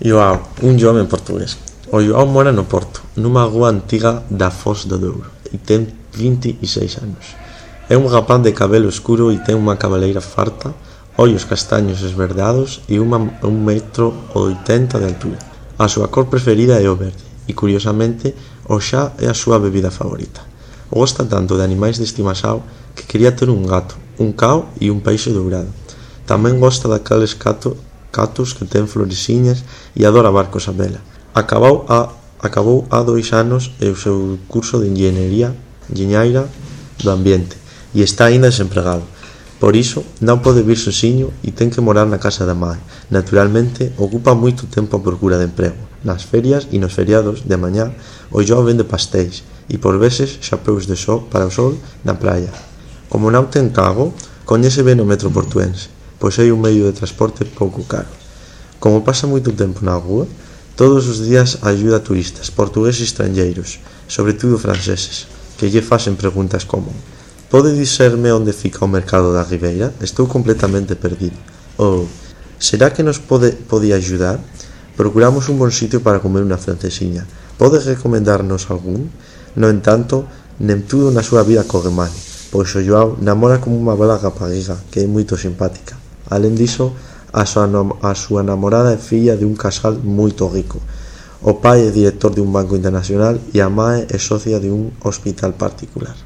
Joao, un jove portugués. O Joao mora no Porto, nunha rúa antiga da Foz do Douro, e ten 26 anos. É un rapaz de cabelo escuro e ten unha cabeleira farta, ollos castaños esverdeados e 1,80 m de altura. A súa cor preferida é o verde, e curiosamente o xa é a súa bebida favorita. Gosta tanto de animais de estimaxao que quería ter un gato, un cao e un peixe dourado. Tamén gosta daqueles catos que ten floresiñas e adora barcos a vela. Acabou há 2 anos o seu curso de enxeñeira do ambiente e está aínda desempregado. Por iso, non pode vir sozinho e ten que morar na casa da mãe. Naturalmente, ocupa moito tempo a procura de emprego. Nas ferias e nos feriados de mañá, o Joao vende pastéis e por veces xapeus de sol para o sol na praia. Como non ten cargo, coñece ben o metro portuense, pois é un medio de transporte pouco caro. Como pasa moito tempo na rúa, todos os días axuda a turistas, portugueses e estranxeiros, sobre todo franceses, que lle facen preguntas como: "Pode dixerme onde fica o mercado da Ribeira? Estou completamente perdido." Ou "Será que nos podía axudar? Procuramos un bon sitio para comer unha francesiña. Pode recomendarnos algún?" No entanto, nem tudo na súa vida corre mal, pois o Joao namora como unha bela rapariga que é moito simpática. Alén diso, a súa namorada é filla de un casal moito rico. O pai é director de un banco internacional e a mãe é socia de un hospital particular.